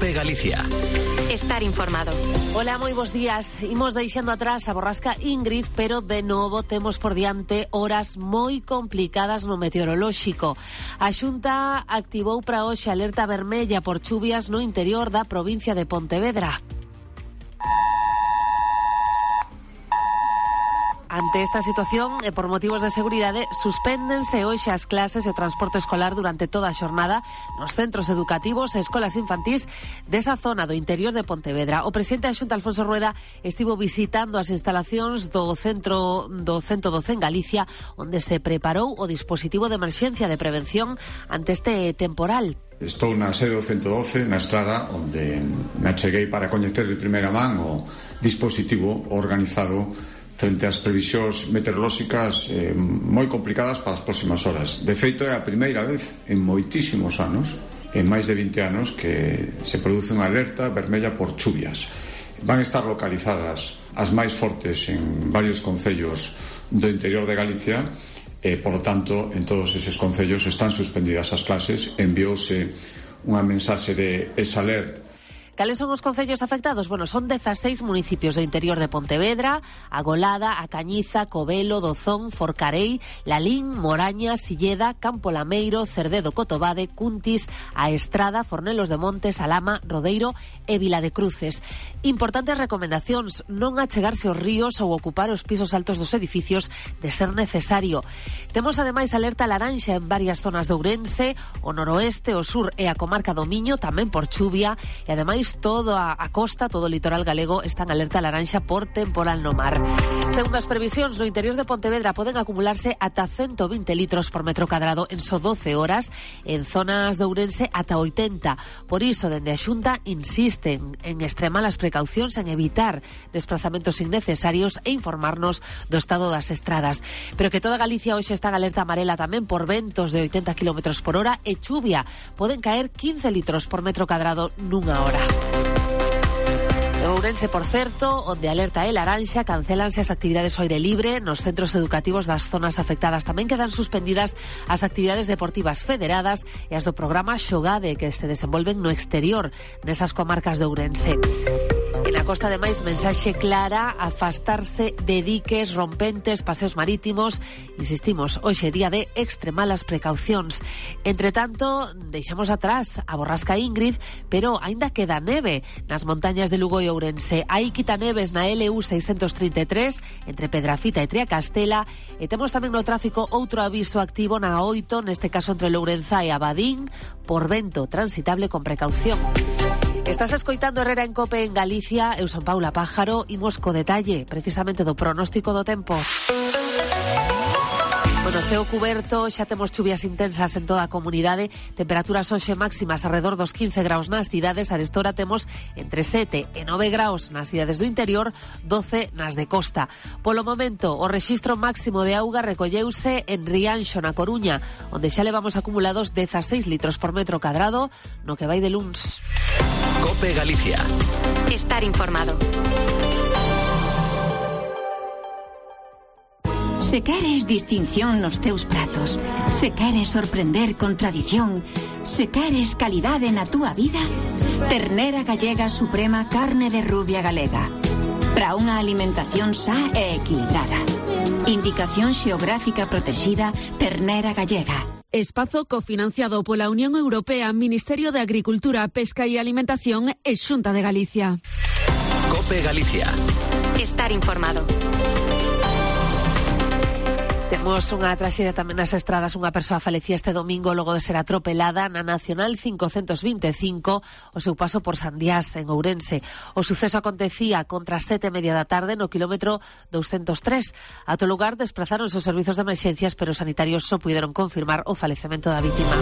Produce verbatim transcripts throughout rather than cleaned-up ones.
COPE Galicia. Estar informado. Hola, moi bons días. Imos deixando atrás a borrasca Ingrid, pero de novo temos por diante horas moi complicadas no meteorolóxico. A Xunta activou para hoxe alerta vermella por chuvias no interior da provincia de Pontevedra. Ante esta situación, e por motivos de seguridade, suspéndense hoxe as clases e o transporte escolar durante toda a xornada nos centros educativos e escolas infantís desa zona do interior de Pontevedra. O presidente da Xunta, Alfonso Rueda, estivo visitando as instalacións do centro do centro doce en Galicia, onde se preparou o dispositivo de emerxencia de prevención ante este temporal. Estou na sede do centro doce, na Estrada, onde me acheguei para coñecer de primeira man o dispositivo organizado frente ás previsións meteorolóxicas eh, moi complicadas para as próximas horas. De feito, é a primeira vez en moitísimos anos, en máis de vinte anos, que se produce unha alerta vermella por chuvias. Van estar localizadas as máis fortes en varios concellos do interior de Galicia e, por lo tanto, en todos eses concellos están suspendidas as clases. Enviouse unha mensaxe de esa alerta. Cales son os concellos afectados? Bueno, son dezaseis municipios do interior de Pontevedra: A Golada, A Cañiza, Covelo, Dozón, Forcarei, Lalín, Moraña, Silleda, Campo Lameiro, Cerdedo, Cotobade, Cuntis, A Estrada, Fornelos de Montes, Alama, Rodeiro e Vila de Cruces. Importantes recomendacións: non achegarse aos ríos ou ocupar os pisos altos dos edificios de ser necesario. Temos ademais alerta laranxa en varias zonas de Ourense, o noroeste, o sur e a comarca do Miño, tamén por chuvia, e ademais toda a costa, todo o litoral galego está en alerta laranxa por temporal no mar. Segundo as previsións, no interior de Pontevedra poden acumularse ata ciento vinte litros por metro cadrado en só doce horas, en zonas de Ourense ata oitenta. Por iso, dende a Xunta insisten en extremar as precaucións, en evitar desplazamentos innecesarios e informarnos do estado das estradas. Pero que toda Galicia hoxe está en alerta amarela tamén por ventos de oitenta kilómetros por hora e chuvia. Poden caer quince litros por metro cadrado nunha hora. En Ourense, por certo, onde alerta é laranxa, cancelanse as actividades ao aire libre nos centros educativos das zonas afectadas. Tamén quedan suspendidas as actividades deportivas federadas e as do programa Xogade, que se desenvolven no exterior nesas comarcas de Ourense. En a costa, ademais, mensaxe clara: afastarse de diques, rompentes, paseos marítimos. Insistimos, hoxe é día de extremar as precaucións. Entre tanto, deixamos atrás a borrasca Ingrid, pero aínda queda neve nas montañas de Lugo e Ourense. Hai quitaneves na L U seiscentos trinta e tres entre Pedrafita e Triacastela, e temos tamén no tráfico outro aviso activo na oito, neste caso entre Lourenzá e Abadín, por vento transitable con precaución. Estás escoitando Herrera en Cope en Galicia. Eu son Paula Pájaro. Imos co detalle precisamente do pronóstico do tempo. Bueno, ceo cuberto, xa temos chuvias intensas en toda a comunidade, temperaturas hoxe máximas alrededor dos quince graus nas cidades. Arestora temos entre sete e nove graus nas cidades do interior, doce nas de costa. Polo momento, o rexistro máximo de auga recolleuse en Rianxo, na Coruña, onde xa levamos acumulados dezaseis litros por metro cadrado no que vai de luns. COPE Galicia. Estar informado. Se queres distinción nos teus pratos, se queres sorprender con tradición, se queres calidade na túa vida, Ternera Gallega Suprema Carne de Rubia Galega. Para unha alimentación sa e equilibrada. Indicación xeográfica protexida Ternera Gallega. Espazo cofinanciado pola Unión Europea, Ministerio de Agricultura, Pesca e Alimentación e Xunta de Galicia. COPE Galicia. Estar informado. Temos unha traxedia tamén nas estradas. Unha persoa falecía este domingo logo de ser atropelada na Nacional cincocentos vinte e cinco o seu paso por Sandiás, en Ourense. O suceso acontecía contra as sete e media da tarde no kilómetro douscentos tres. A todo lugar desplazaronse os servizos de emerxencias, pero os sanitarios só puderon confirmar o falecemento da vítima.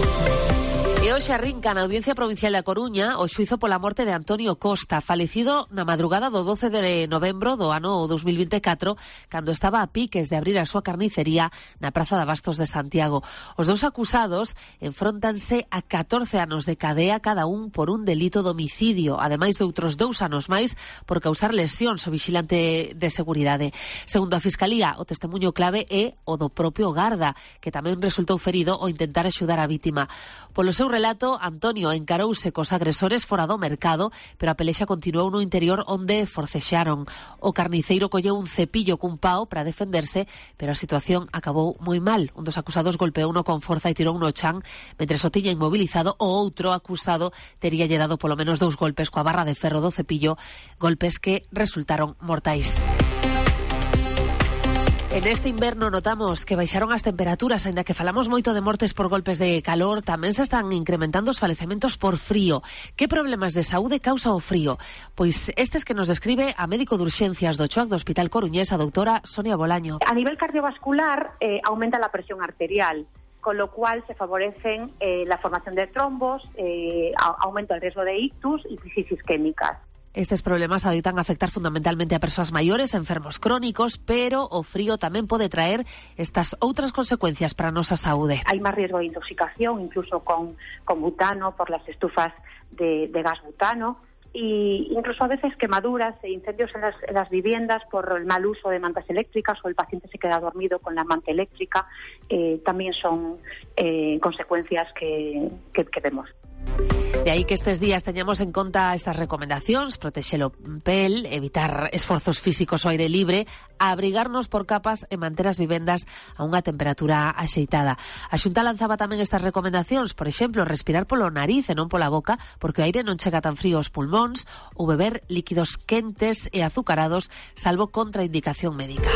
E hoxe arrinca na Audiencia Provincial da Coruña o xuizo pola morte de Antonio Costa, falecido na madrugada do doce de novembro do ano dous mil vinte e catro, cando estaba a piques de abrir a súa carnicería na Praza de Abastos de Santiago. Os dous acusados enfróntanse a catorce anos de cadea cada un por un delito de homicidio, ademais de outros dous anos máis por causar lesións ao vigilante de seguridade. Segundo a Fiscalía, o testemunho clave é o do propio garda, que tamén resultou ferido ao intentar axudar a vítima. Polo seu relato, Antonio encarouse cos agresores fora do mercado, pero a pelexa continuou no interior onde forcexaron. O carniceiro colleu un cepillo cun pao para defenderse, pero a situación acabou moi mal. Un dos acusados golpeouno con forza e tirou no chan, mentre o tiña inmobilizado. O outro acusado tería lle dado polo menos dous golpes coa barra de ferro do cepillo, golpes que resultaron mortais. En este inverno notamos que baixaron as temperaturas, aínda que falamos moito de mortes por golpes de calor, tamén se están incrementando os falecementos por frío. Que problemas de saúde causa o frío? Pois estes que nos describe a médico de urxencias do CHOAC do Hospital Coruñés, a doutora Sonia Bolaño. A nivel cardiovascular eh, aumenta la presión arterial, con lo cual se favorecen eh, la formación de trombos, eh, aumenta el riesgo de ictus y crisis isquémicas. Estes problemas adoitan afectar fundamentalmente a persoas maiores, enfermos crónicos, pero o frío tamén pode traer estas outras consecuencias para a nosa saúde. Hay máis riesgo de intoxicación, incluso con, con butano, por las estufas de, de gas butano, y incluso a veces quemaduras e incendios en las, en las viviendas por el mal uso de mantas eléctricas, o el paciente se queda dormido con la manta eléctrica, eh, también son eh, consecuencias que, que, que vemos. De aí que estes días teñamos en conta estas recomendacións: protexer o pel, evitar esforzos físicos ao aire libre, abrigarnos por capas e manter as vivendas a unha temperatura axeitada. A Xunta lanzaba tamén estas recomendacións, por exemplo, respirar polo nariz e non pola boca, porque o aire non chega tan frío aos pulmóns, ou beber líquidos quentes e azucarados, salvo contraindicación médica.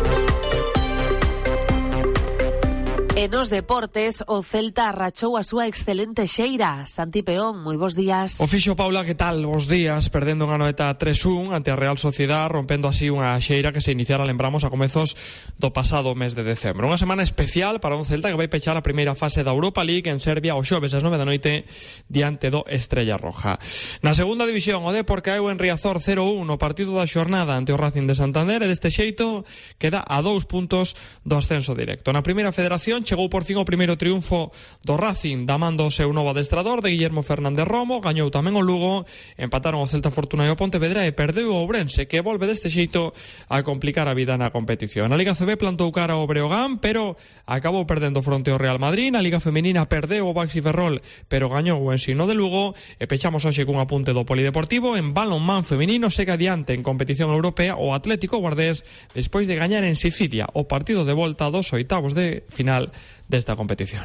E nos deportes, o Celta arrachou a súa excelente xeira. Santi Peón, moi bons días. O fixo, Paula, que tal? Bos días, perdendo unha noeta tres un ante a Real Sociedad, rompendo así unha xeira que se iniciara, lembramos, a comezos do pasado mes de decembro. Unha semana especial para un Celta que vai pechar a primeira fase da Europa League en Serbia o xoves ás nove da noite diante do Estrella Roja. Na segunda división, o Depor caeu en Riazor cero un no partido da xornada ante o Racing de Santander, e deste xeito queda a dous puntos do ascenso directo. Na primeira federación chegou por fin o primeiro triunfo do Racing, da man do seu novo adestrador, de Guillermo Fernández Romo. Gañou tamén o Lugo, empataron o Celta Fortuna e o Pontevedra, e perdeu o Ourense, que volve deste xeito a complicar a vida na competición. A Liga C B plantou cara ao Breogán, pero acabou perdendo fronte ao Real Madrid. Na Liga Femenina perdeu o Baxi Ferrol, pero gañou o Ensino de Lugo. E pechamos hoxe cun apunte do Polideportivo. En balonmán femenino segue adiante en competición europea o Atlético Guardés, despois de gañar en Sicilia o partido de volta dos oitavos de final desta competición.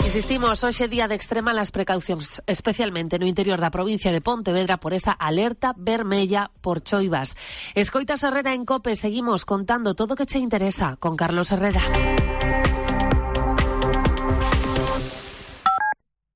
Insistimos, hoxe día de extrema las precaucións, especialmente no interior da provincia de Pontevedra, por esa alerta vermella por choivas. Escoitas Herrera en COPE, seguimos contando todo o que che interesa con Carlos Herrera.